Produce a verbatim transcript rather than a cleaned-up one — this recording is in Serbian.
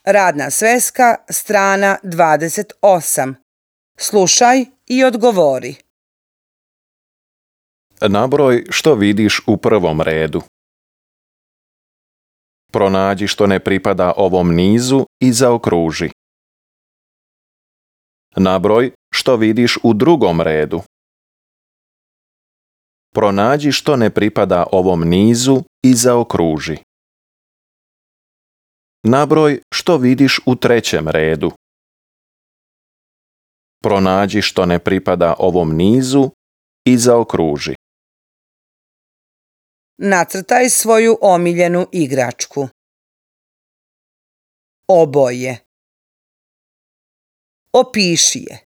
Radna sveska, strana dvadeset osam. Slušaj i odgovori. Nabroj što vidiš u prvom redu. Pronađi što ne pripada ovom nizu i zaokruži. Nabroj što vidiš u drugom redu. Pronađi što ne pripada ovom nizu i zaokruži. Nabroj što vidiš u trećem redu. Pronađi što ne pripada ovom nizu i zaokruži. Nacrtaj svoju omiljenu igračku. Oboje. Opiši je.